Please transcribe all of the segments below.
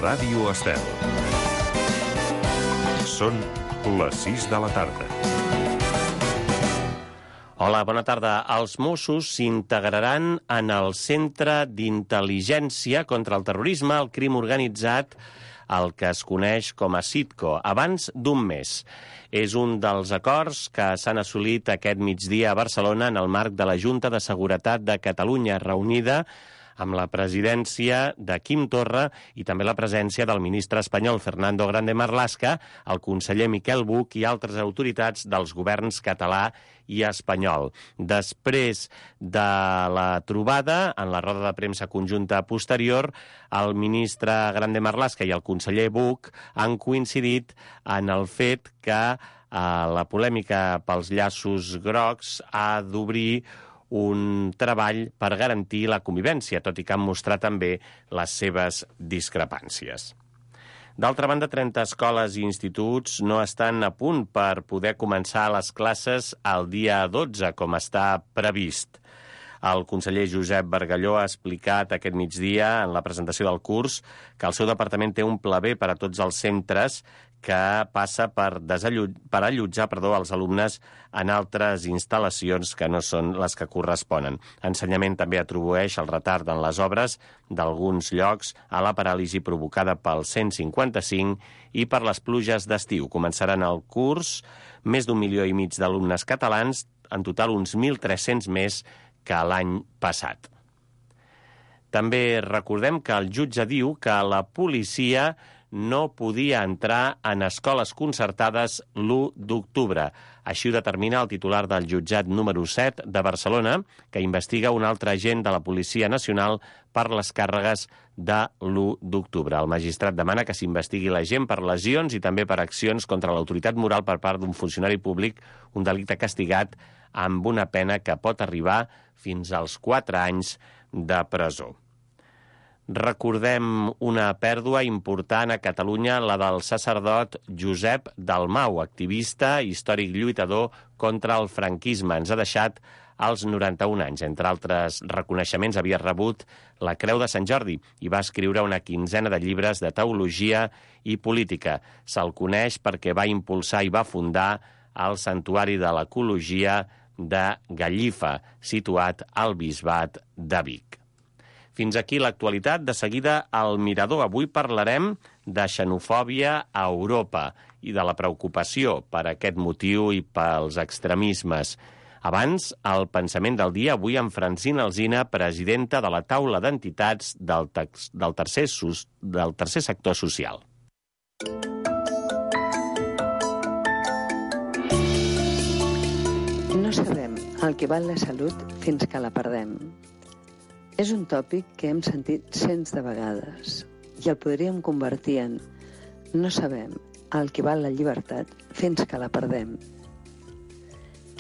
Ràdio Estel. Són les 6 de la tarda. Hola, bona tarda. Els Mossos s'integraran en el Centre d'Intel·ligència contra el Terrorisme, el crim organitzat, el que es coneix com a CITCO, abans d'un mes. És un dels acords que s'han assolit aquest migdia a Barcelona en el marc de la Junta de Seguretat de Catalunya, reunida amb la presidència de Quim Torra i també la presència del ministre espanyol Fernando Grande Marlaska, el conseller Miquel Buch i altres autoritats dels governs català i espanyol. Després de la trobada, en la roda de premsa conjunta posterior, el ministre Grande Marlaska i el conseller Buch han coincidit en el fet que la polèmica pels llaços grocs ha d'obrir un treball per garantir la convivència, tot i que han mostrat també les seves discrepàncies. D'altra banda, 30 escoles i instituts no estan a punt per poder començar les classes el dia 12, com està previst. El conseller Josep Bargalló ha explicat aquest migdia en la presentació del curs que el seu departament té un pla B per a tots els centres que passa per allotjar els alumnes en altres instal·lacions que no són les que corresponen. Ensenyament també atribueix el retard en les obres d'alguns llocs a la paràlisi provocada pel 155 i per les pluges d'estiu. Començaran el curs més d'1,5 milió d'alumnes catalans, en total uns 1.300 més que l'any passat. També recordem que el jutge diu que la policia no podia entrar en escoles concertades l'1 d'octubre. Així ho determina el titular del jutjat número 7 de Barcelona, que investiga un altre agent de la Policia Nacional per les càrregues de l'1 d'octubre. El magistrat demana que s'investigui l'agent per lesions i també per accions contra l'autoritat moral per part d'un funcionari públic, un delicte castigat amb una pena que pot arribar fins als 4 anys de presó. Recordem una pèrdua important a Catalunya, la del sacerdot Josep Dalmau, activista i històric lluitador contra el franquisme. Ens ha deixat als 91 anys. Entre altres reconeixements, havia rebut la Creu de Sant Jordi i va escriure una quinzena de llibres de teologia i política. Se'l coneix perquè va impulsar i va fundar el Santuari de l'Ecologia de Gallifa, situat al Bisbat de Vic. Fins aquí l'actualitat. De seguida, al Mirador. Avui parlarem de xenofòbia a Europa i de la preocupació per aquest motiu i pels extremismes. Abans, el pensament del dia, avui amb Francina Alsina, presidenta de la taula d'entitats del tercer sector social. No sabem el que val la salut fins que la perdem. És un tòpic que hem sentit cents de vegades i el podríem convertir en no sabem el que val la llibertat fins que la perdem.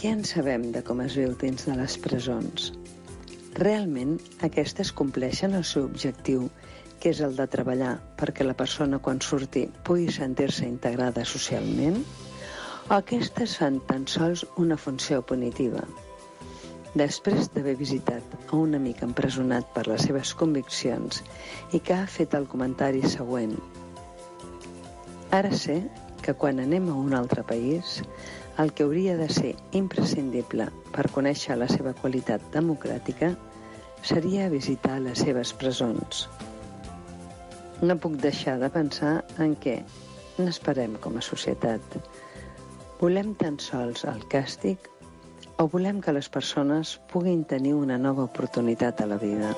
Què en sabem de com es viu dins de les presons? Realment aquestes compleixen el seu objectiu, que és el de treballar perquè la persona quan surti pugui sentir-se integrada socialment? O aquestes fan tan sols una funció punitiva? Després d'haver visitat a un amic empresonat per les seves conviccions i que ha fet el comentari següent: ara sé que quan anem a un altre país, el que hauria de ser imprescindible per conèixer la seva qualitat democràtica seria visitar les seves presons. No puc deixar de pensar en què n'esperem com a societat. Volem tan sols el càstig o volem que les persones puguin tenir una nova oportunitat a la vida?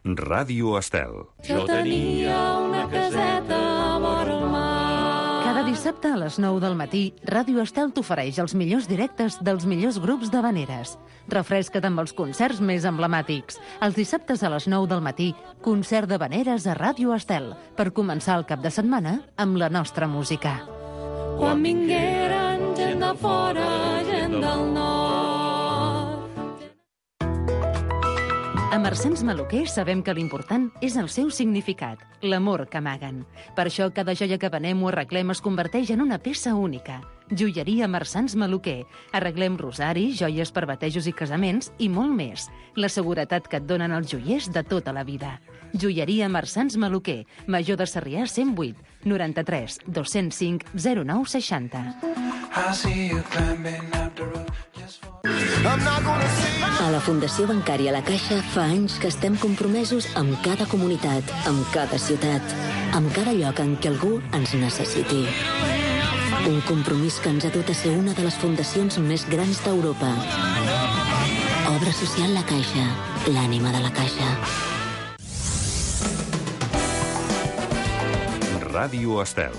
Ràdio Estel. Jo tenia una caseta vora el mar. Cada dissabte a les 9 del matí, Ràdio Estel t'ofereix els millors directes dels millors grups d'havaneres. Refresca't amb els concerts més emblemàtics. Els dissabtes a les 9 del matí, concert d'havaneres a Ràdio Estel, per començar el cap de setmana amb la nostra música. Quan vingueren gent de fora, gent del nord. A Marsans Maluquer sabem que l'important és el seu significat, l'amor que amaguen. Per això cada joia que venem o arreglem es converteix en una peça única. Joieria Marsans Maluquer. Arreglem rosaris, joies per batejos i casaments i molt més. La seguretat que et donen els joiers de tota la vida. Joieria Marsans Maluquer. Major de Sarrià 108 93 205 09 60. A la Fundació Bancària La Caixa fa anys que estem compromesos amb cada comunitat, amb cada ciutat, amb cada lloc en què algú ens necessiti. Un compromís que ens ha dut a ser una de les fundacions més grans d'Europa. Obra social La Caixa, l'ànima de la Caixa. Ràdio Estel.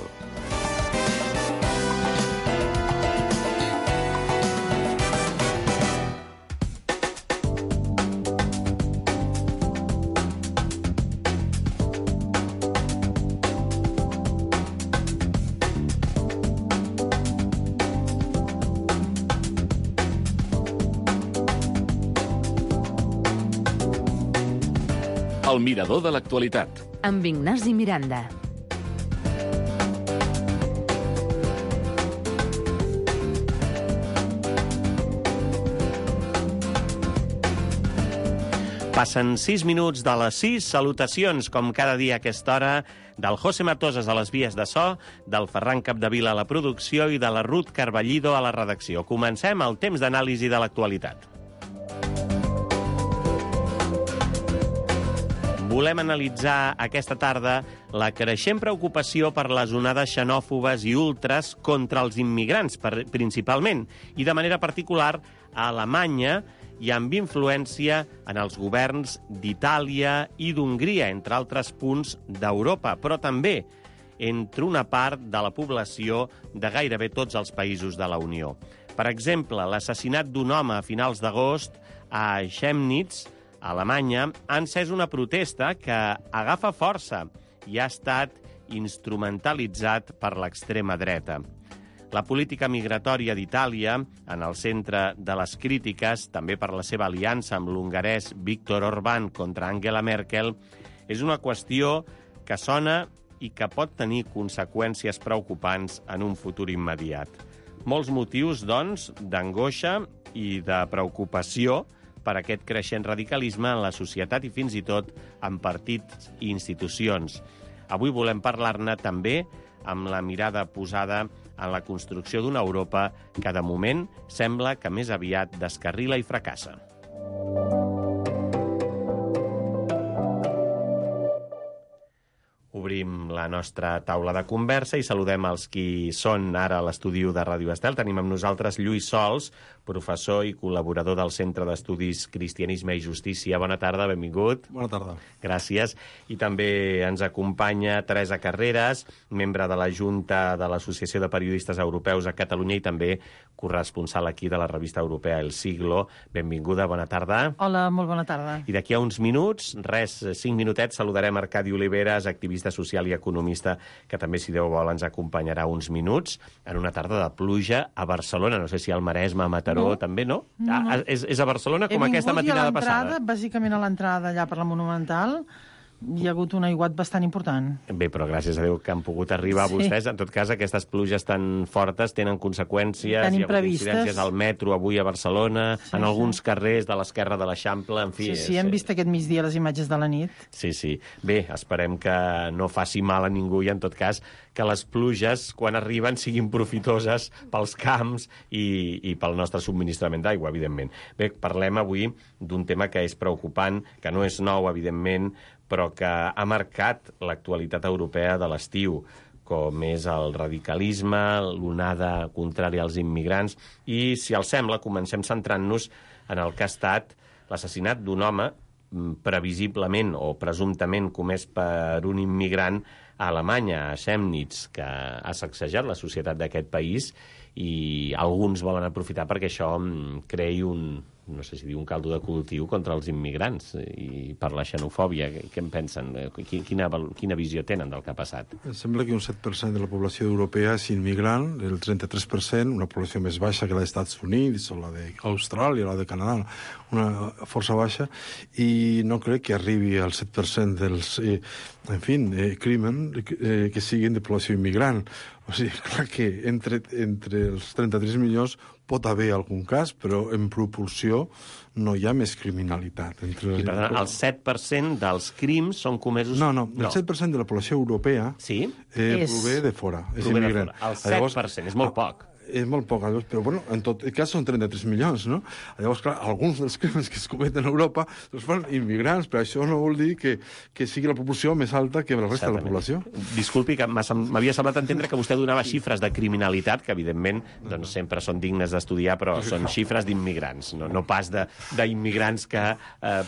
El mirador de l'actualitat. Amb Ignasi Miranda. Passen 6 minuts de les 6. Salutacions, com cada dia a aquesta hora, del José Matosas a les vies de so, del Ferran Capdevila a la producció i de la Ruth Carballido a la redacció. Comencem el temps d'anàlisi de l'actualitat. Volem analitzar aquesta tarda la creixent preocupació per les onades xenòfobes i ultres contra els immigrants, principalment, i de manera particular a Alemanya i amb influència en els governs d'Itàlia i d'Hongria, entre altres punts d'Europa, però també entre una part de la població de gairebé tots els països de la Unió. Per exemple, l'assassinat d'un home a finals d'agost a Chemnitz, a Alemanya, ha encès una protesta que agafa força i ha estat instrumentalitzat per l'extrema dreta. La política migratòria d'Itàlia, en el centre de les crítiques, també per la seva aliança amb l'hongarès Viktor Orbán contra Angela Merkel, és una qüestió que sona i que pot tenir conseqüències preocupants en un futur immediat. Molts motius, doncs, d'angoixa i de preocupació per aquest creixent radicalisme en la societat i fins i tot en partits i institucions. Avui volem parlar-ne també amb la mirada posada en la construcció d'una Europa que, de moment, sembla que més aviat descarrila i fracassa. Obrim la nostra taula de conversa i saludem els qui són ara a l'estudi de Ràdio Estel. Tenim amb nosaltres Lluís Sols, professor i col·laborador del Centre d'Estudis Cristianisme i Justícia. Bona tarda, benvingut. Bona tarda. Gràcies. I també ens acompanya Teresa Carreras, membre de la Junta de l'Associació de Periodistes Europeus a Catalunya i també corresponsal aquí de la revista europea El Siglo. Benvinguda, bona tarda. Hola, molt bona tarda. I d'aquí a uns minuts, 5 minutets, saludarem Arcadi Oliveres, activista social i economista, que també, si Déu vol, ens acompanyarà uns minuts en una tarda de pluja a Barcelona. No sé si al Maresme, a Mataró, també, no? És a Barcelona com aquesta matinada passada? Bàsicament a l'entrada allà per la Monumental hi ha hagut un aiguat bastant important. Bé, però gràcies a Déu que han pogut arribar vostès. En tot cas, aquestes pluges tan fortes tenen conseqüències. Tan hi ha hagut imprevistes. incidències al metro avui a Barcelona, en alguns carrers de l'esquerra de l'Eixample, en fi. Sí, hem vist aquest migdia les imatges de la nit. Sí. Bé, esperem que no faci mal a ningú i, en tot cas, que les pluges, quan arriben, siguin profitoses pels camps i pel nostre subministrament d'aigua, evidentment. Bé, parlem avui d'un tema que és preocupant, que no és nou, evidentment, però que ha marcat l'actualitat europea de l'estiu, com és el radicalisme, l'onada contrària als immigrants. I, si els sembla, comencem centrant-nos en el que ha estat l'assassinat d'un home previsiblement o presumptament comès per un immigrant a Alemanya, a Chemnitz, que ha sacsejat la societat d'aquest país, i alguns volen aprofitar perquè això creï un no sé si dir un caldo de cultiu contra els immigrants i per la xenofòbia. Què en pensen? Quina visió tenen del que ha passat? Em sembla que un 7% de la població europea és immigrant, el 33%, una població més baixa que la dels Estats Units o la d'Austràlia, la de Canadà, una força baixa, i no crec que arribi al 7% dels, crimen que siguin de població immigrant. O sigui, clar que entre els 33 milions pot haver algun cas, però en proporció no hi ha més criminalitat. I, perdona, el 7% dels crims són comesos... No, el 7% de la població europea prové de fora, és immigrant. El 7%, és molt poc. És molt poc, però bueno, en tot cas són 33 milions, no? Llavors, clar, alguns dels crims que es cometen a Europa fan immigrants, però això no vol dir que sigui la proporció més alta que la resta de la població. Disculpi, que m'havia semblat entendre que vostè donava xifres de criminalitat, que evidentment doncs, sempre són dignes d'estudiar, però són xifres d'immigrants, no pas d'immigrants que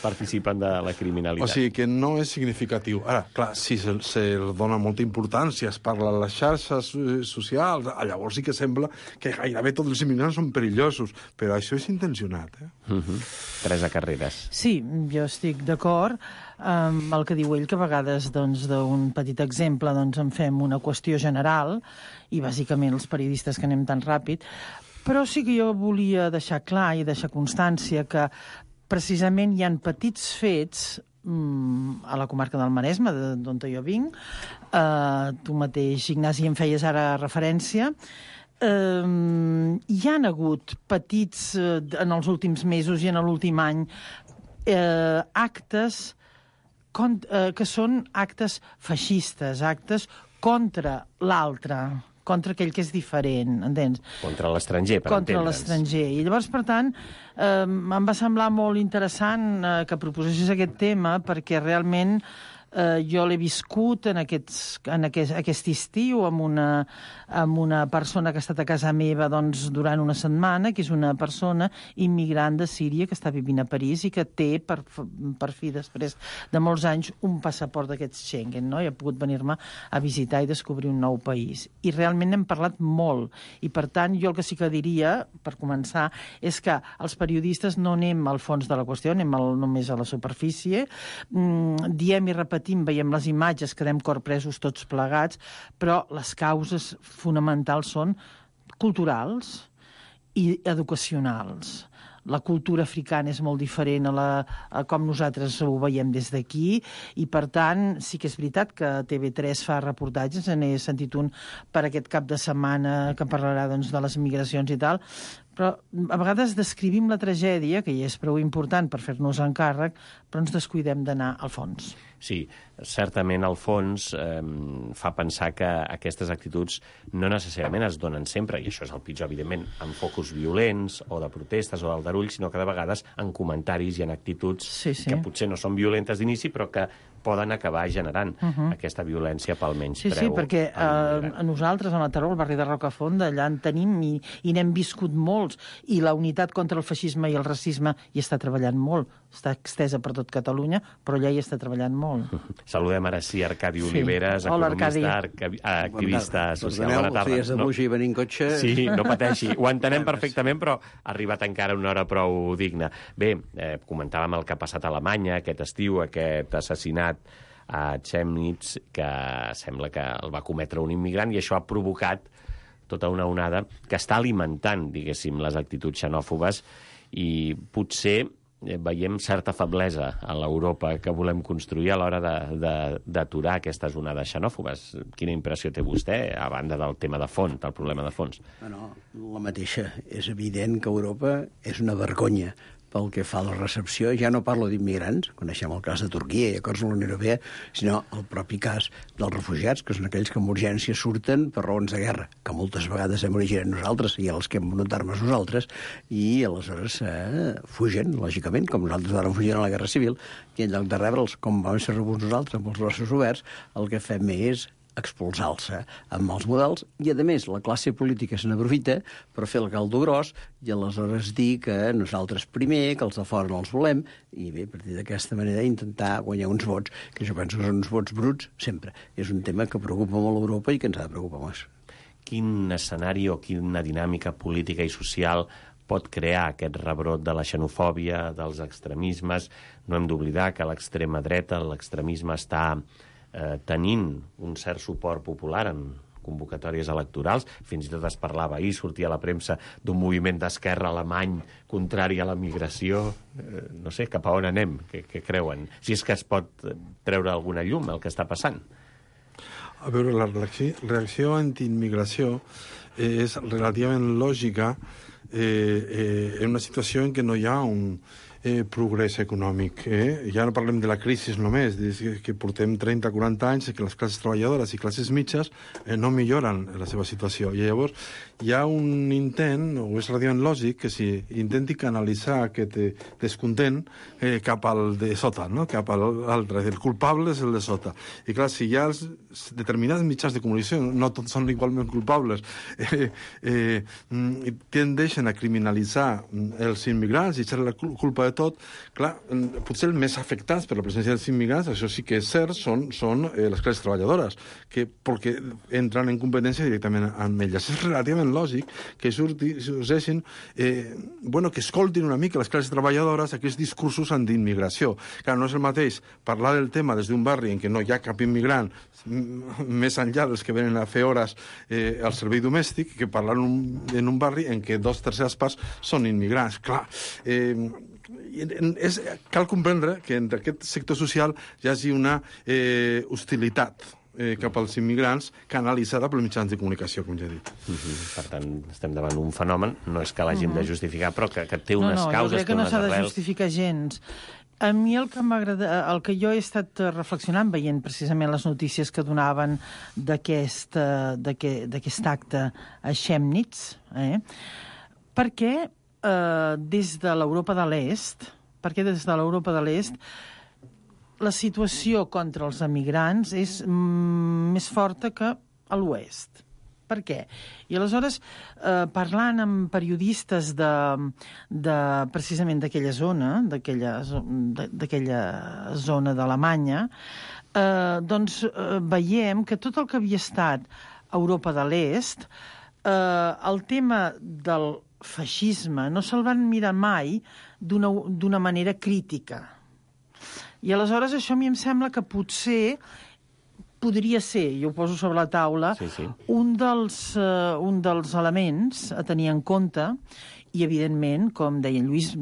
participen de la criminalitat. O sigui, que no és significatiu. Ara, clar, si se dona molta importància, es parla a les xarxes socials, llavors sí que sembla que gairebé tots els immigrants són perillosos, però això és intencionat. Teresa Carreras. Sí, jo estic d'acord amb el que diu ell, que a vegades d'un petit exemple en fem una qüestió general, i bàsicament els periodistes que anem tan ràpid, però sí que jo volia deixar clar i deixar constància que precisament hi ha petits fets a la comarca del Maresme, d'on jo vinc. Tu mateix, Ignasi, em feies ara referència. Hi han hagut petits, en els últims mesos i en l'últim any, actes que són actes feixistes, actes contra l'altre, contra aquell que és diferent, entens? Contra l'estranger, per entendre'ns. Contra l'estranger. I llavors, per tant, em va semblar molt interessant que proposessis aquest tema, perquè realment jo l'he viscut en aquest estiu amb una persona que ha estat a casa meva durant una setmana, que és una persona immigrant de Síria que està vivint a París i que té, per fi, després de molts anys, un passaport d'aquests Schengen, no? I ha pogut venir-me a visitar i descobrir un nou país. I realment n'hem parlat molt. I, per tant, jo el que sí que diria, per començar, és que els periodistes no anem al fons de la qüestió, anem només a la superfície, diem i repetim, veiem les imatges, quedem corpresos tots plegats, però les causes fonamentals són culturals i educacionals. La cultura africana és molt diferent a com nosaltres ho veiem des d'aquí, i per tant sí que és veritat que TV3 fa reportatges, n'he sentit un per aquest cap de setmana que parlarà de les migracions i tal, però a vegades descrivim la tragèdia, que ja és prou important per fer-nos encàrrec, però ens descuidem d'anar al fons. Sí, certament al fons fa pensar que aquestes actituds no necessàriament es donen sempre, i això és el pitjor, evidentment, en focus violents o de protestes o d'aldarull, sinó que de vegades en comentaris i en actituds que potser no són violentes d'inici, però que poden acabar generant aquesta violència pel menyspreu. Sí, perquè a nosaltres, a Mataró, al barri de Rocafonda, allà en tenim i n'hem viscut molts, i la unitat contra el feixisme i el racisme hi està treballant molt. Està extesa per tot Catalunya, però allà hi està treballant molt. Saludem ara sí Arcadi Oliveres, economista, activista social. Bona tarda. Els dies de Buix i venint cotxe... Sí, no pateixi. Ho entenem perfectament, però ha arribat encara una hora prou digna. Bé, comentàvem el que ha passat a Alemanya aquest estiu, aquest assassinat a Chemnitz, que sembla que el va cometre un immigrant, i això ha provocat tota una onada que està alimentant, diguéssim, les actituds xenòfobes, i potser veiem certa feblesa a l'Europa que volem construir a l'hora d'aturar aquestes onades xenòfobes. Quina impressió té vostè, a banda del tema de fons, del problema de fons? No, la mateixa. És evident que Europa és una vergonya pel que fa a la recepció. Ja no parlo d'immigrants, coneixem el cas de Turquia i acords de la Unió Europea, sinó el propi cas dels refugiats, que són aquells que amb urgència surten per raons de guerra, que moltes vegades hem originat nosaltres i els que hem venut armes nosaltres, i aleshores fugen, lògicament, com nosaltres vàrem fugir en la Guerra Civil, i en lloc de rebre'ls com vam ser rebuts nosaltres, amb els braços oberts, el que fem és expulsar-se amb els models, i a més la classe política se n'aprofita per fer el caldo gros i aleshores dir que nosaltres primer, que els de fora no els volem, i bé, a partir d'aquesta manera intentar guanyar uns vots, que jo penso que són uns vots bruts sempre. És un tema que preocupa molt Europa i que ens ha de preocupar més. Quin escenari o quina dinàmica política i social pot crear aquest rebrot de la xenofòbia, dels extremismes. No hem d'oblidar que l'extrema dreta, l'extremisme, està tenint un cert suport popular en convocatòries electorals. Fins i tot es parlava ahir, sortia a la premsa, d'un moviment d'esquerra alemany contrari a la migració. No sé, cap a on anem? Què creuen? Si és que es pot treure alguna llum el que està passant. A veure, la reacció antiimmigració és relativament lògica en una situació en què no hi ha un progrés econòmic. Ja no parlem de la crisi només, que portem 30-40 anys que les classes treballadores i classes mitges no milloren la seva situació. I llavors hi ha un intent, o és relativament lògic, que s'intenti canalitzar aquest descontent cap al de sota, no? Cap a l'altre. El culpable és el de sota. I clar, si hi ha determinats mitjans de comunicació, no tots són igualment culpables, tendeixen a criminalitzar els immigrants i echar la culpa de tot, clar, potser els més afectats per la presència dels immigrants, això sí que és cert, són les classes treballadores, perquè entren en competència directament amb elles. És relativament lògic que sorgeixin, que escoltin una mica les classes treballadores aquests discursos antiimmigració. Clar, no és el mateix parlar del tema des d'un barri en què no hi ha cap immigrant, més enllà dels que venen a fer hores al servei domèstic, que parlar en un barri en què 2/3 parts són immigrants. Clar, cal comprendre que entre aquest sector social hi hagi una hostilitat cap als immigrants canalitzada pels mitjans de comunicació, com ja he dit. Per tant, estem davant un fenomen, no és que l'hàgim de justificar, però que té unes causes, jo crec que no s'ha de justificar gens. A mi el que jo he estat reflexionant, veient precisament les notícies que donaven d'aquest acte a Chemnitz, perquè des de l'Europa de l'Est la situació contra els emigrants és més forta que a l'oest. Per què? I aleshores, parlant amb periodistes precisament d'aquella zona, d'aquella zona d'Alemanya, doncs veiem que tot el que havia estat Europa de l'Est, el tema del feixisme no se'l van mirar mai d'una manera crítica. I aleshores això a mi em sembla que potser podria ser, jo ho poso sobre la taula, un dels elements a tenir en compte, i evidentment, com deia en Lluís,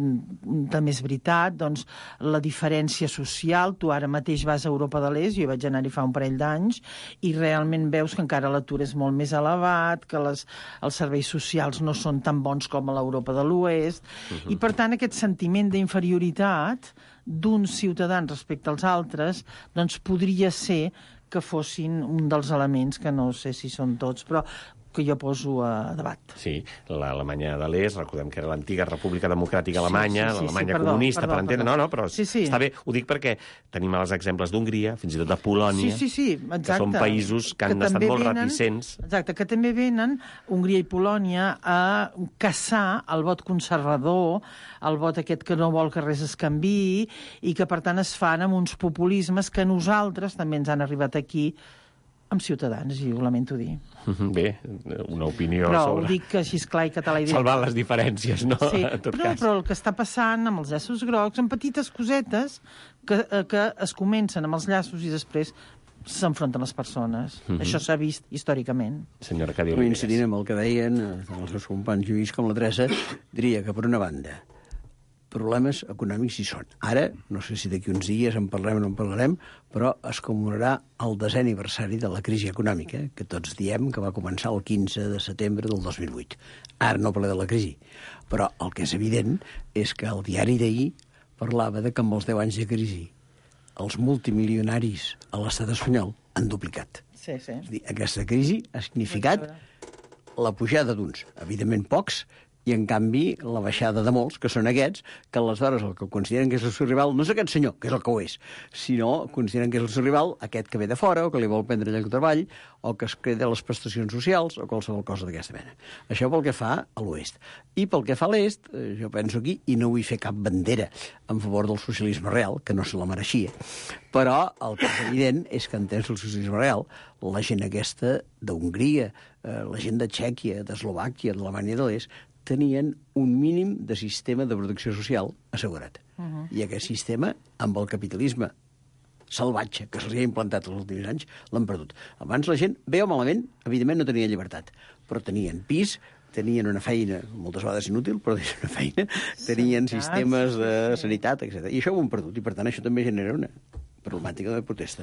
també és veritat, doncs la diferència social. Tu ara mateix vas a Europa de l'Est, jo vaig anar-hi fa un parell d'anys, i realment veus que encara l'atur és molt més elevat, que els serveis socials no són tan bons com a l'Europa de l'Oest, i per tant aquest sentiment d'inferioritat d'uns ciutadans respecte als altres, doncs podria ser que fossin un dels elements, que no sé si són tots, però que jo poso a debat. Sí, l'Alemanya de l'Est, recordem que era l'antiga República Democràtica Alemanya, l'Alemanya comunista, per entendre. No, però està bé. Ho dic perquè tenim els exemples d'Hongria, fins i tot de Polònia, que són països que han estat molt reticents. Exacte, que també venen, Hongria i Polònia, a caçar el vot conservador, el vot aquest que no vol que res es canviï, i que per tant es fan amb uns populismes que nosaltres també ens han arribat aquí amb Ciutadans, i ho lamento dir. Bé, una opinió però sobre... Però ho dic així clar i català i salvant les diferències, no? Sí, cas. Però el que està passant amb els llaços grocs, amb petites cosetes que es comencen amb els llaços i després s'enfronten les persones. Això s'ha vist històricament. Senyora Cadi, coincidint amb el que deien els seus companys Lluís com la Teresa, diria que per una banda problemes econòmics hi són. Ara, no sé si d'aquí uns dies en parlem o no en parlarem, però es commemorarà el 10è aniversari de la crisi econòmica, que tots diem que va començar el 15 de setembre del 2008. Ara no parla de la crisi, però el que és evident és que el diari d'ahir parlava de que amb els 10 anys de crisi els multimilionaris a l'estat espanyol han duplicat. Sí. És a dir, aquesta crisi ha significat la pujada d'uns, evidentment pocs, i, en canvi, la baixada de molts, que són aquests, que aleshores el que consideren que és el seu rival no és aquest senyor, que és el que ho és, sinó consideren que és el seu rival aquest que ve de fora, o que li vol prendre lloc de treball, o que es queda les prestacions socials, o qualsevol cosa d'aquesta mena. Això pel que fa a l'oest. I pel que fa a l'est, jo penso aquí, i no vull fer cap bandera en favor del socialisme real, que no se la mereixia, però el que és evident és que en temps del socialisme real, la gent aquesta d'Hongria, la gent de Txèquia, d'Eslovàquia, d'Alemanya de l'Est, tenien un mínim de sistema de protecció social assegurat. I aquest sistema, amb el capitalisme salvatge que se'ls ha implantat els últims anys, l'han perdut. Abans la gent, bé o malament, evidentment no tenia llibertat, però tenien pis, tenien una feina, moltes vegades inútil, però tenien una feina, tenien sistemes de sanitat, etc. I això ho han perdut, i per tant això també genera una problemàtica de protesta.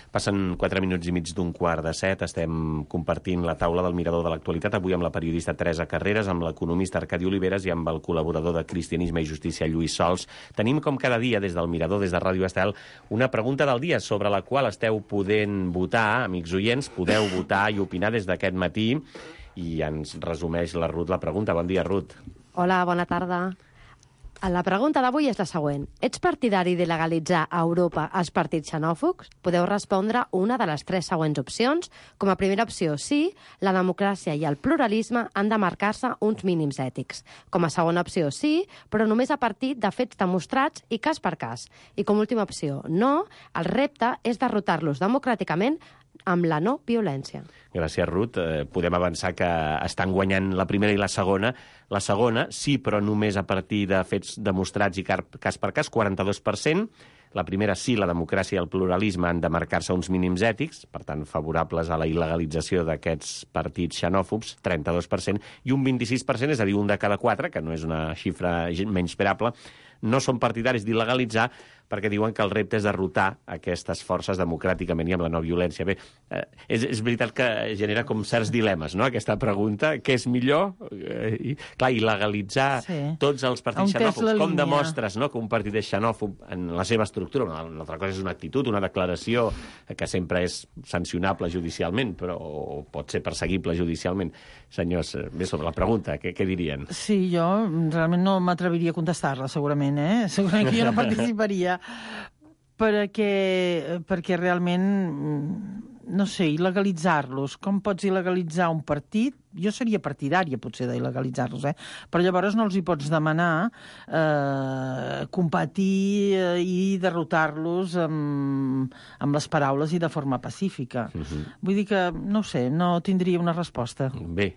Passen 4 minuts i mig d'un 6:15. Estem compartint la taula del Mirador de l'Actualitat, avui amb la periodista Teresa Carreras, amb l'economista Arcadi Oliveres i amb el col·laborador de Cristianisme i Justícia, Lluís Sols. Tenim, com cada dia, des del Mirador, des de Ràdio Estel, una pregunta del dia sobre la qual esteu podent votar, amics oients, podeu votar i opinar des d'aquest matí, i ens resumeix la Ruth la pregunta. Bon dia, Ruth. Hola, bona tarda. La pregunta d'avui és la següent. Ets partidari de legalitzar a Europa els partits xenòfobs? Podeu respondre una de les 3 següents opcions. Com a primera opció, sí, la democràcia i el pluralisme han de marcar-se uns mínims ètics. Com a segona opció, sí, però només a partir de fets demostrats i cas per cas. I com a última opció, no, el repte és derrotar-los democràticament amb la no violència. Gràcies, Ruth. Podem avançar que estan guanyant la primera i la segona. La segona, sí, però només a partir de fets demostrats i cas per cas, 42%. La primera, sí, la democràcia i el pluralisme han de marcar-se uns mínims ètics, per tant, favorables a la il·legalització d'aquests partits xenòfobs, 32%, i un 26%, és a dir, un de cada 4, que no és una xifra menyspreable, no són partidaris d'il·legalitzar perquè diuen que el repte és derrotar aquestes forces democràticament i amb la no violència. Bé, és veritat que genera com certs dilemes, no?, aquesta pregunta. Què és millor? Clar, il·legalitzar tots els partits xenòfobs. Com demostres, no?, que un partit és xenòfob en la seva estructura? Una altra cosa és una actitud, una declaració que sempre és sancionable judicialment, però pot ser perseguible judicialment. Senyors, bé, sobre la pregunta, què dirien? Sí, jo realment no m'atreviria a contestar-la, segurament, Segurament que jo no participaria, perquè realment, no sé, il·legalitzar-los. Com pots il·legalitzar un partit? Jo seria partidària, potser, d'il·legalitzar-los, però llavors no els hi pots demanar competir i derrotar-los amb les paraules i de forma pacífica. Vull dir que, no sé, no tindria una resposta. Bé,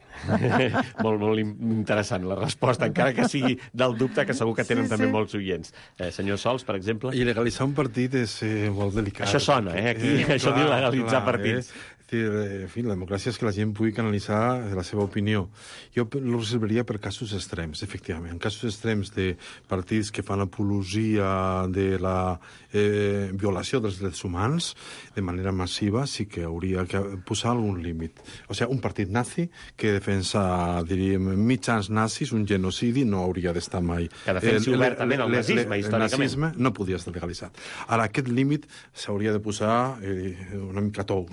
molt interessant la resposta, encara que sigui del dubte, que segur que tenen també molts oients. Senyor Sols, per exemple? Il·legalitzar un partit és molt delicat. Això sona, aquí, això d'il·legalitzar partits. En fi, la democràcia és que la gent pugui canalitzar la seva opinió. Jo ho reservaria per casos extrems, efectivament. En casos extrems de partits que fan apologia de la violació dels drets humans de manera massiva, sí que hauria que posar algun límit. O sigui, un partit nazi que defensa, diríem, mitjans nazis, un genocidi, no hauria d'estar mai. Que defensi obertament el nazisme, històricament. El nazisme no podia estar legalitzat. Ara, aquest límit s'hauria de posar una mica tou.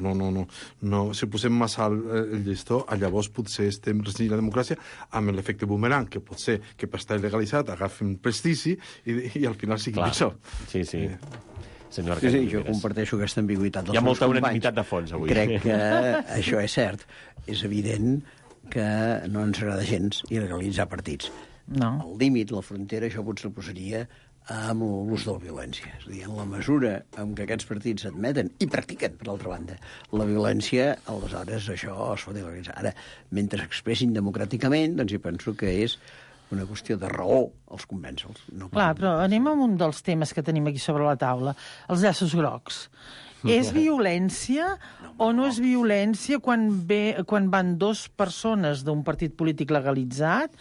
No, si posem massa el llistó, llavors potser estem restringint la democràcia amb l'efecte boomerang, que pot ser que per estar il·legalitzat agafin prestigi i al final sigui pitjor. Sí. Senyor Arcadi Oliveres. Jo comparteixo aquesta ambigüitat dels meus companys. Hi ha molta unanimitat de fons, avui. Crec que això és cert. És evident que no ens agrada gens il·legalitzar partits. No. El límit, la frontera, això potser el posaria amb l'ús de la violència. És a dir, en la mesura en què aquests partits admeten i practiquen, per l'altra banda, la violència, aleshores això es pot il·legalitzar. Ara, mentre expressin democràticament, doncs jo penso que és una qüestió de raó els convèncer-los. Clar, però anem a un dels temes que tenim aquí sobre la taula, els llaços grocs. És violència o no és violència quan van 2 persones d'un partit polític legalitzat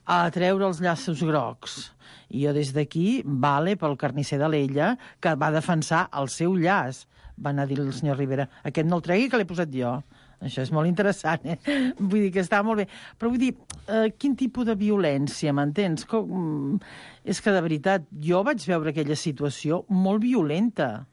a treure els llaços grocs? I jo des d'aquí, vale pel carnisser d'Alella, que va defensar el seu llaç. Va anar a dir el senyor Rivera, aquest no el tregui, que l'he posat jo. Això és molt interessant, Vull dir que està molt bé. Però vull dir, quin tipus de violència, m'entens? És que, de veritat, jo vaig veure aquella situació molt violenta.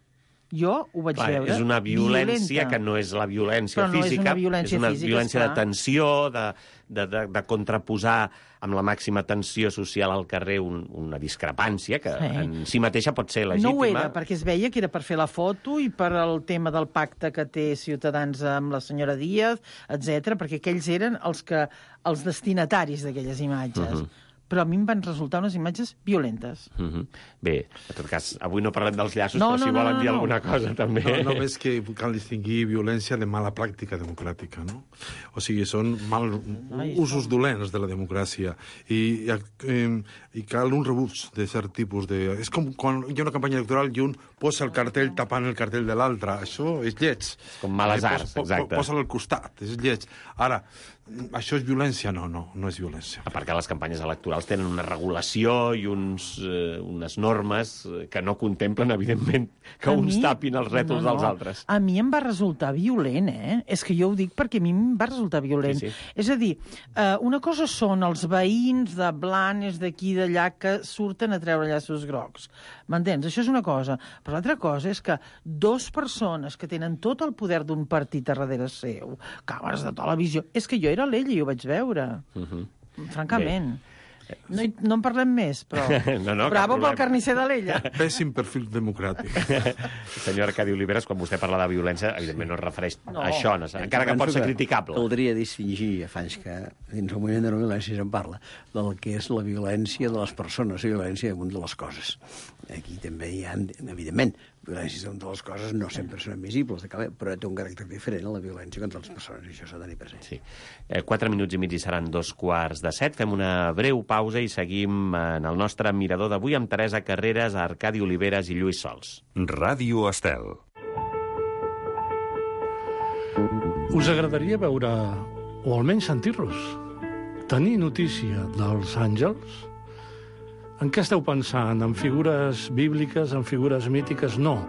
Jo ho vaig veure. És una violència que no és la violència física, és una violència de tensió, de contraposar amb la màxima tensió social al carrer una discrepància que en si mateixa pot ser legítima. No ho era, perquè es veia que era per fer la foto i per el tema del pacte que té Ciutadans amb la senyora Díaz, etc, perquè aquells eren els destinataris d'aquelles imatges. però a mi em van resultar unes imatges violentes. Bé, en tot cas, avui no parlem dels llaços, però si volen dir alguna cosa, també. No, només que cal distingir violència de mala pràctica democràtica, no? O sigui, són usos dolents de la democràcia i cal un rebuig de cert tipus de... És com quan hi ha una campanya electoral i un posa el cartell tapant el cartell de l'altre. Això és lleig. Com males arts, exacte. Posa-lo al costat, és lleig. Ara, això és violència? No és violència. A part que les campanyes electorals tenen una regulació i unes normes que no contemplen, evidentment, que uns tapin els rètols dels altres. A mi em va resultar violent, És que jo ho dic perquè a mi em va resultar violent. Sí. És a dir, una cosa són els veïns de Blanes, d'aquí, d'allà, que surten a treure llaços grocs. M'entens? Això és una cosa. Però l'altra cosa és que dues persones que tenen tot el poder d'un partit a darrere seu, càmeres de televisió... És que jo era l'ella i ho vaig veure. Francament. No en parlem més, però... Bravo pel carnisser de l'ella. Pèssim perfil democràtic. Senyor Arcadi Oliveres, quan vostè parla de violència, evidentment no es refereix a això, encara que pot ser criticable. Caldria distingir, abans que dins el moviment de la violència se'n parla, del que és la violència de les persones, la violència damunt de les coses. Aquí també hi ha, evidentment, violències damunt de les coses no sempre són admissibles, però té un caràcter diferent a la violència contra les persones, i això s'ha de tenir present. Sí. 4 minuts i mig i seran 6:45. Fem una breu pausa i seguim en el nostre mirador d'avui amb Teresa Carreras, Arcadi Oliveres i Lluís Sols. Ràdio Estel. Us agradaria veure, o almenys sentir-los, tenir notícia dels àngels? En què esteu pensant? En figures bíbliques, en figures mítiques? No.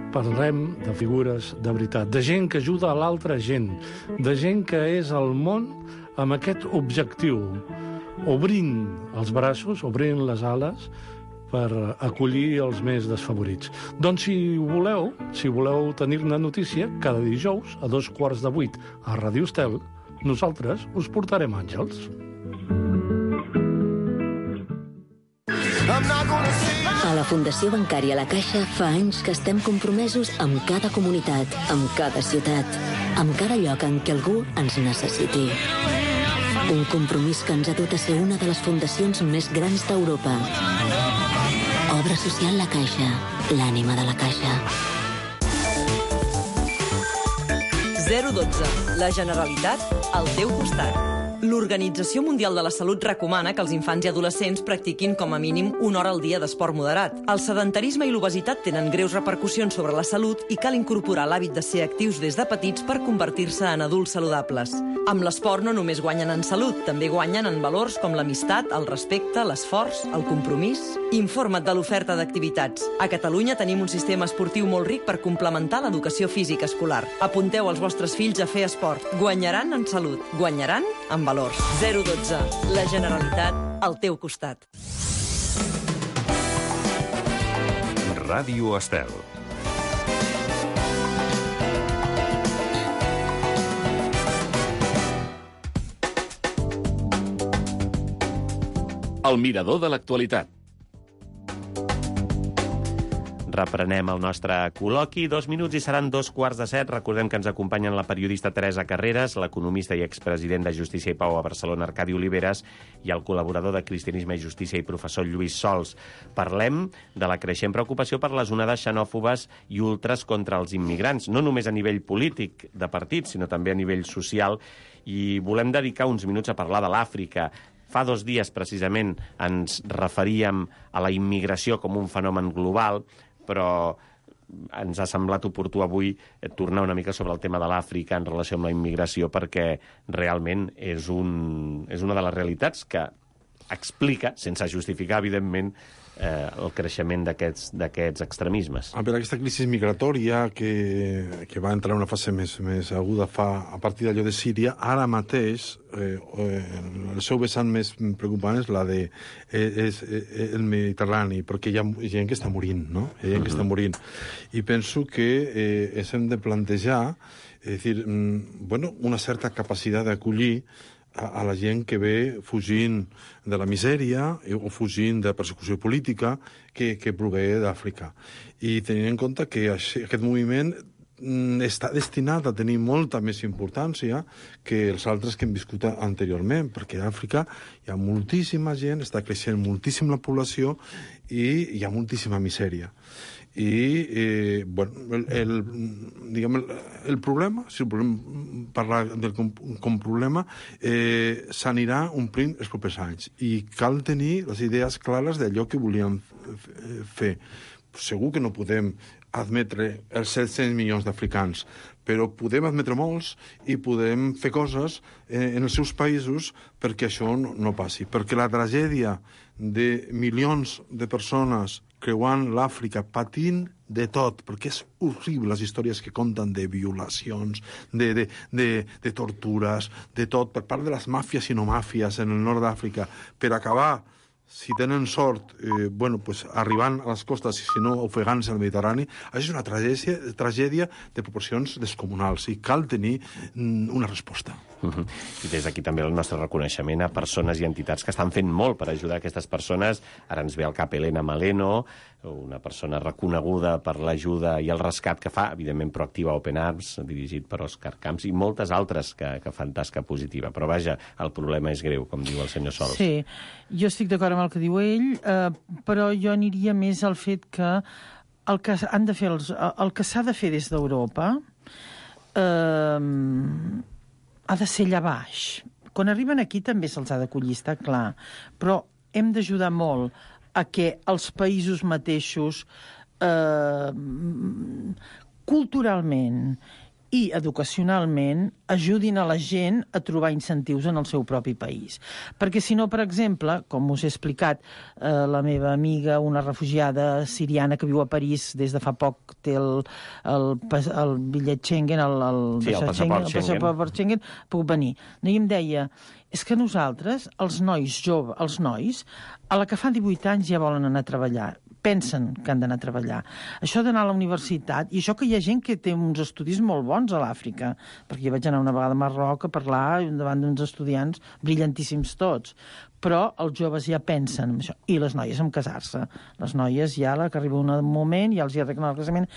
Parlem de figures de veritat, de gent que ajuda a l'altra gent, de gent que és al món amb aquest objectiu, obrint els braços, obrint les ales, per acollir els més desfavorits. Doncs si voleu tenir-ne notícia, cada dijous a 7:15 a Ràdio Estel, nosaltres us portarem àngels. A la Fundació Bancària La Caixa fa anys que estem compromesos amb cada comunitat, amb cada ciutat, amb cada lloc en què algú ens necessiti. Un compromís que ens ha dut a ser una de les fundacions més grans d'Europa. Obra social La Caixa, l'ànima de la Caixa. 012. La Generalitat al teu costat. L'Organització Mundial de la Salut recomana que els infants i adolescents practiquin com a mínim 1 hora al dia d'esport moderat. El sedentarisme i l'obesitat tenen greus repercussions sobre la salut i cal incorporar l'hàbit de ser actius des de petits per convertir-se en adults saludables. Amb l'esport no només guanyen en salut, també guanyen en valors com l'amistat, el respecte, l'esforç, el compromís. Informa't de l'oferta d'activitats. A Catalunya tenim un sistema esportiu molt ric per complementar l'educació física escolar. Apunteu els vostres fills a fer esport. Guanyaran en salut, guanyaran en valors. 012. La Generalitat al teu costat. Ràdio Estel. El mirador de l'actualitat. Reprenem el nostre col·loqui. 2 minuts i seran 7:15. Recordem que ens acompanyen la periodista Teresa Carreras, l'economista i expresident de Justícia i Pau a Barcelona, Arcadi Oliveres, i el col·laborador de Cristianisme i Justícia i professor Lluís Sols. Parlem de la creixent preocupació per les onades xenòfobes i ultres contra els immigrants, no només a nivell polític de partits, sinó també a nivell social, i volem dedicar uns minuts a parlar de l'Àfrica. Fa 2 dies, precisament, ens referíem a la immigració com un fenomen global, però ens ha semblat oportú avui tornar una mica sobre el tema de l'Àfrica en relació amb la immigració, perquè realment és una de les realitats que explica, sense justificar, evidentment, el creixement d'aquests extremismes. Per aquesta crisi migratòria que va entrar en una fase més aguda a partir d'allò de Síria, ara mateix el seu vessant més preocupant és el Mediterrani, perquè hi ha gent que està morint, no? Hi ha gent que està morint. I penso que ens hem de plantejar una certa capacitat d'acollir a la gent que ve fugint de la misèria o fugint de persecució política que prové d'Àfrica. I tenint en compte que aquest moviment està destinat a tenir molta més importància que els altres que hem viscut anteriorment, perquè a Àfrica hi ha moltíssima gent, està creixent moltíssim la població i hi ha moltíssima misèria. I el problema, si volem parlar del com problema, s'anirà omplint els propers anys i cal tenir les idees clares d'allò que volíem fer. Segur que no podem admetre els 700 milions d'africans, però podem admetre molts i podem fer coses en els seus països perquè això no passi. Perquè la tragèdia de milions de persones creuant l'Àfrica, patint de tot, perquè és horrible les històries que conten de violacions, de tortures, de tot, per part de les màfies i no màfies en el nord d'Àfrica, per acabar, si tenen sort, arribant a les costes i si no ofegant-se al Mediterrani. Això és una tragèdia de proporcions descomunals i cal tenir una resposta. I des d'aquí també el nostre reconeixement a persones i entitats que estan fent molt per ajudar aquestes persones. Ara ens ve al cap Elena Maleno, una persona reconeguda per l'ajuda i el rescat que fa, evidentment Proactiva Open Arms, dirigit per Òscar Camps, i moltes altres que fan tasca positiva. Però vaja, el problema és greu, com diu el senyor Sols. Sí, jo estic d'acord amb el que diu ell, però jo aniria més al fet que el que han de fer el que s'ha de fer des d'Europa ha de ser allà baix. Quan arriben aquí també se'ls ha d'acollir, està clar, però hem d'ajudar molt a que els països mateixos culturalment i educacionalment ajudin a la gent a trobar incentius en el seu propi país. Perquè si no, per exemple, com us he explicat, la meva amiga, una refugiada siriana que viu a París des de fa poc, té el bitllet Schengen, el passaport Schengen, puc venir. I em deia, és que nosaltres, els nois joves, els nois, a la que fan 18 anys ja volen anar a treballar. Pensen que han d'anar a treballar. Això d'anar a la universitat, i això que hi ha gent que té uns estudis molt bons a l'Àfrica, perquè jo vaig anar una vegada a Marroc a parlar davant d'uns estudiants brillantíssims tots, però els joves ja pensen en això, i les noies en casar-se. Les noies ja, que arriba un moment, ja els hi arreglen el casament.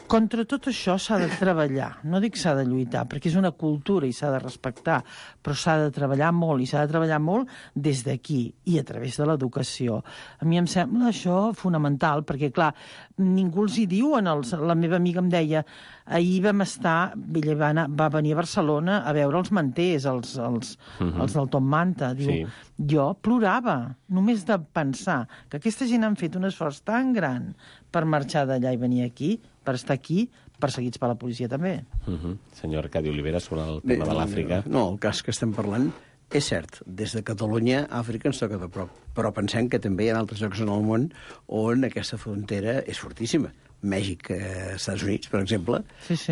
Contra tot això s'ha de treballar. No dic s'ha de lluitar, perquè és una cultura i s'ha de respectar, però s'ha de treballar molt, i s'ha de treballar molt des d'aquí i a través de l'educació. A mi em sembla això fonamental, perquè, clar, ningú els hi diu. La meva amiga em deia, ahir vam estar, ella va venir a Barcelona a veure els manters, els del Tom Manta. Diu, jo plorava, només de pensar que aquesta gent han fet un esforç tan gran per marxar d'allà i venir aquí, per estar aquí, perseguits per la policia també. Senyor Arcadi Olivera, sobre el tema de l'Àfrica. No, el cas que estem parlant és cert. Des de Catalunya, Àfrica ens toca de prop. Però pensem que també hi ha altres llocs en el món on aquesta frontera és fortíssima. Mèxic, Estats Units, per exemple,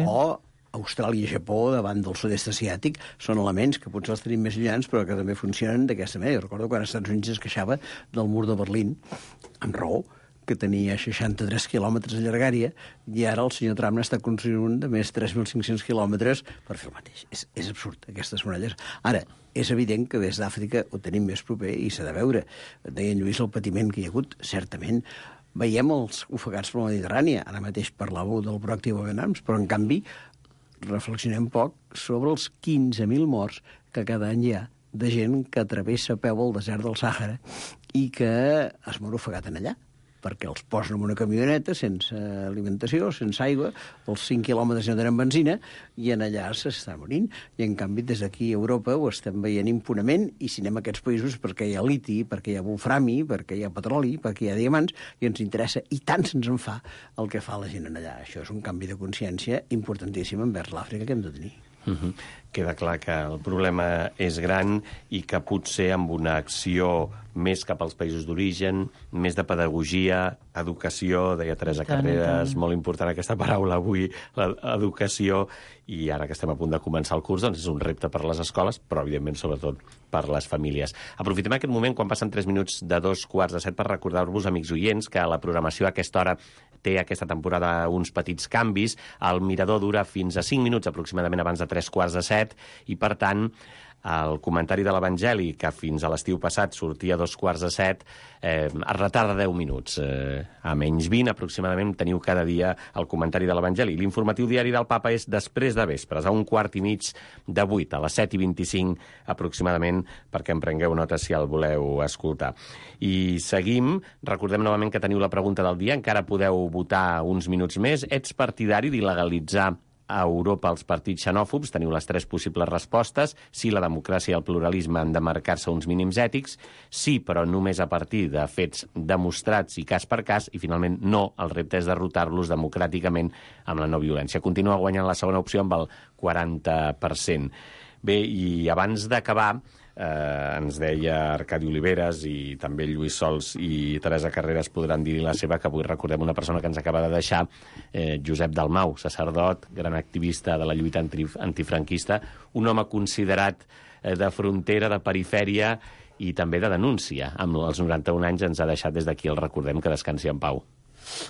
o Austràlia i Japó davant del sud-est asiàtic són elements que potser els tenim més llunyans però que també funcionen d'aquesta manera. Jo recordo quan els Estats Units es queixava del mur de Berlín, amb raó, que tenia 63 quilòmetres de llargària, i ara el senyor Trump n'està construint un de més 3.500 quilòmetres per fer el mateix. És absurd, aquestes muralles. Ara, és evident que des d'Àfrica ho tenim més proper i s'ha de veure. Deia en Lluís el patiment que hi ha hagut, certament. Veiem els ofegats per la Mediterrània. Ara mateix parlàveu del Proactiva Open Arms, però en canvi reflexionem poc sobre els 15.000 morts que cada any hi ha de gent que travessa a peu el desert del Sàhara i que es mor ofegat en allà, perquè els posen en una camioneta sense alimentació, sense aigua, els 5 quilòmetres no tenen benzina, i en allà s'està morint. I en canvi, des d'aquí a Europa ho estem veient impunement, i si anem a aquests països perquè hi ha liti, perquè hi ha wolframi, perquè hi ha petroli, perquè hi ha diamants, i ens interessa, i tant se'ns en fa el que fa la gent en allà. Això és un canvi de consciència importantíssim envers l'Àfrica que hem de tenir. Queda clar que el problema és gran i que potser amb una acció més cap als països d'origen, més de pedagogia, educació, deia Teresa Carreras, molt important aquesta paraula avui, l'educació, i ara que estem a punt de començar el curs, doncs és un repte per a les escoles, però evidentment sobretot per les famílies. Aprofitem aquest moment, quan passen 3 minuts de 2:45, per recordar-vos, amics oients, que la programació a aquesta hora té aquesta temporada uns petits canvis. El mirador dura fins a 5 minuts aproximadament abans de 3:15, i per tant el comentari de l'Evangeli, que fins a l'estiu passat sortia a 6:45, es retarda 10 minuts. A menys 20, aproximadament, teniu cada dia el comentari de l'Evangeli. L'informatiu diari del Papa és després de vespres, a 7:15, a les 7:25 aproximadament, perquè en prengueu nota si el voleu escoltar. I seguim. Recordem novament que teniu la pregunta del dia. Encara podeu votar uns minuts més. Ets partidari d'il·legalitzar a Europa els partits xenòfobs? Teniu les 3 possibles respostes. Sí, la democràcia i el pluralisme han de marcar-se uns mínims ètics. Sí, però només a partir de fets demostrats i cas per cas. I, finalment, no. El repte és derrotar-los democràticament amb la no violència. Continua guanyant la segona opció amb el 40%. Bé, i abans d'acabar, ens deia Arcadi Oliveres i també Lluís Sols i Teresa Carreras podran dir-hi la seva, que avui recordem una persona que ens acaba de deixar, Josep Dalmau, sacerdot, gran activista de la lluita antifranquista, un home considerat de frontera, de perifèria i també de denúncia. Amb els 91 anys ens ha deixat, des d'aquí el recordem, que descansi en pau.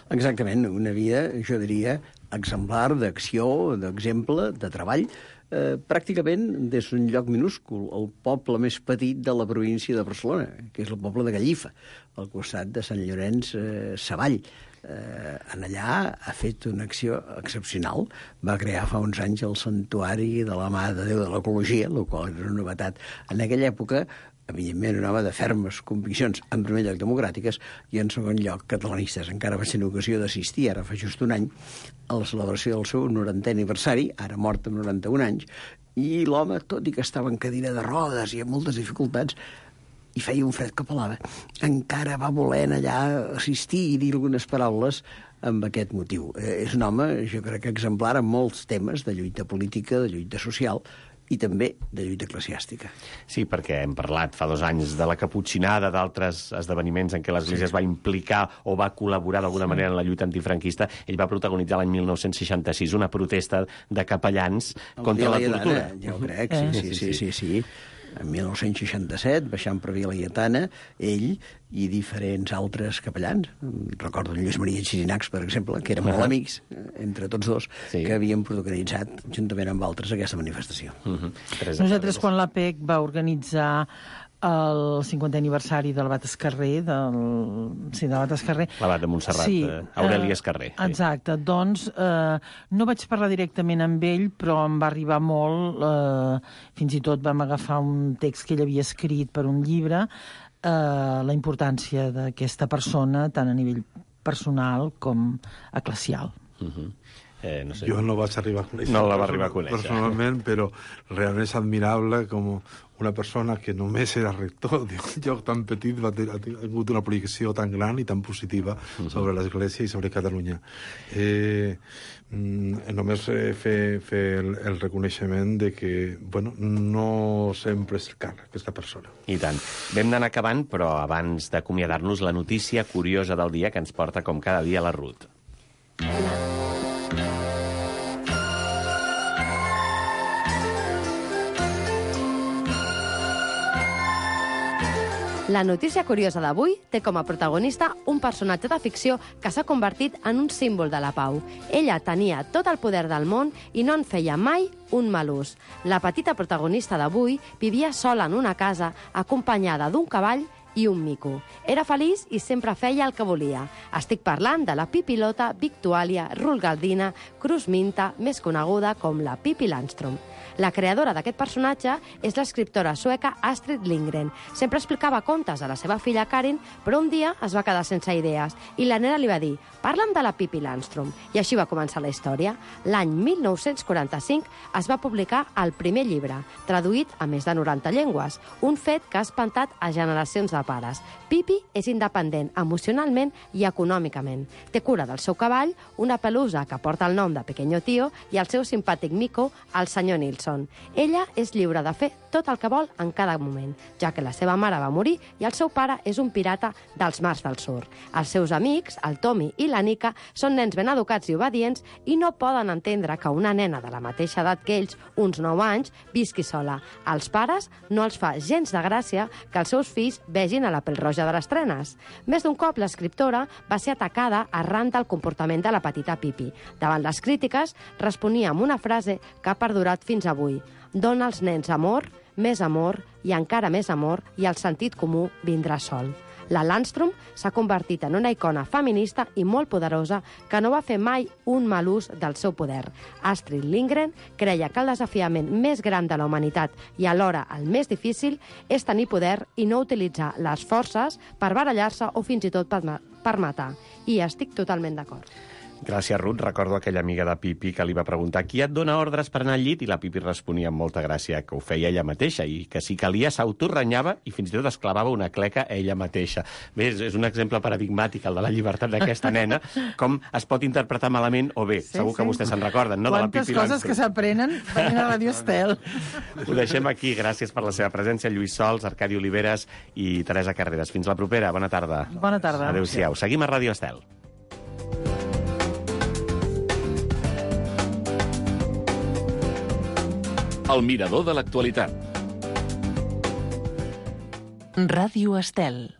Exactament, una vida, jo diria, exemplar d'acció, d'exemple, de treball, pràcticament des d'un lloc minúscul, el poble més petit de la província de Barcelona, que és el poble de Gallifa, al costat de Sant Llorenç Savall. En allà ha fet una acció excepcional. Va crear fa uns anys el Santuari de la Mare de Déu de l'Ecologia, el qual era una novetat en aquella època. Evidentment, un home de fermes conviccions, en primer lloc democràtiques, i en segon lloc catalanistes. Encara vaig tenir ocasió d'assistir, ara fa just un any, a la celebració del seu 90è aniversari, ara mort amb 91 anys, i l'home, tot i que estava en cadira de rodes i amb moltes dificultats, i feia un fred que pelava, encara va voler allà assistir i dir algunes paraules amb aquest motiu. És un home, jo crec que exemplar en molts temes de lluita política, de lluita social, i també de lluita eclesiàstica. Sí, perquè hem parlat fa 2 anys de la caputxinada, d'altres esdeveniments en què l'Església es va implicar o va col·laborar d'alguna manera en la lluita antifranquista. Ell va protagonitzar l'any 1966 una protesta de capellans contra la tortura. Ja ho crec, sí. En 1967, baixant per Via Laietana, ell i diferents altres capellans, recordo en Lluís Maria Xirinacs, per exemple, que eren molt amics, entre tots dos, que havien protagonitzat, juntament amb altres, aquesta manifestació. Nosaltres, quan l'APEC va organitzar el 50è aniversari de l'Abat Escarrer, l'Abat de Montserrat, Aureli Escarrer. Exacte, doncs no vaig parlar directament amb ell, però em va arribar molt, fins i tot vam agafar un text que ell havia escrit per un llibre, la importància d'aquesta persona, tant a nivell personal com eclesial. No sé. Jo no vaig arribar a conèixer. No la va arribar a conèixer. Personalment, però realment és admirable com una persona que només era rector d'un lloc tan petit ha tingut una aplicació tan gran i tan positiva sobre l'Església i sobre Catalunya. Només fer el reconeixement de que, bueno, no sempre és car aquesta persona. I tant. Vam d'anar acabant, però abans d'acomiadar-nos, la notícia curiosa del dia que ens porta com cada dia la Ruth. La notícia curiosa d'avui té com a protagonista un personatge de ficció que s'ha convertit en un símbol de la pau. Ella tenia tot el poder del món i no en feia mai un mal ús. La petita protagonista d'avui vivia sola en una casa acompanyada d'un cavall i un mico. Era feliç i sempre feia el que volia. Estic parlant de la pipilota Victuàlia Rulgaldina Cruz-Minta, més coneguda com la Pippi Landström. La creadora d'aquest personatge és l'escriptora sueca Astrid Lindgren. Sempre explicava contes a la seva filla Karin, però un dia es va quedar sense idees i la nena li va dir: «Parla'm de la Pippi Landström». I així va començar la història. L'any 1945 es va publicar el primer llibre, traduït a més de 90 llengües, un fet que ha espantat a generacions de pares. Pippi és independent emocionalment i econòmicament. Té cura del seu cavall, una pelusa que porta el nom de Pequeño Tío i el seu simpàtic mico, el senyor Nilsson. Ella és lliure de fer tot el que vol en cada moment, ja que la seva mare va morir i el seu pare és un pirata dels mars del sud. Els seus amics, el Tommy i la Nika, són nens ben educats i obedients i no poden entendre que una nena de la mateixa edat que ells, uns 9 anys, visqui sola. Als pares no els fa gens de gràcia que els seus fills vegin a la Pèl-roja de les trenes. Més d'un cop l'escriptora va ser atacada arran del comportament de la petita Pippi. Davant les crítiques, responia amb una frase que ha perdurat fins avui: «Dona als nens amor, més amor i encara més amor, i el sentit comú vindrà sol. La Landstrom s'ha convertit en una icona feminista i molt poderosa que no va fer mai un mal ús del seu poder. Astrid Lindgren creia que el desafiament més gran de la humanitat i alhora el més difícil és tenir poder i no utilitzar les forces per barallar-se o fins i tot per matar. I estic totalment d'acord. Gràcies, Ruth. Recordo aquella amiga de Pipi que li va preguntar qui et dona ordres per anar al llit, i la Pipi responia amb molta gràcia que ho feia ella mateixa i que si calia s'autorrenyava i fins i tot es clavava una cleca ella mateixa. Bé, és un exemple paradigmàtic, el de la llibertat d'aquesta nena, com es pot interpretar malament o bé. Segur que vostès se'n recorden, no? Quantes coses que s'aprenen venint a Radio Estel. Ho deixem aquí. Gràcies per la seva presència, Lluís Sols, Arcadi Oliveres i Teresa Carreras. Fins la propera. Bona tarda. Bona tarda. Adéu-siau. Seguim a Radio Estel. El mirador de l'actualitat. Ràdio Estel.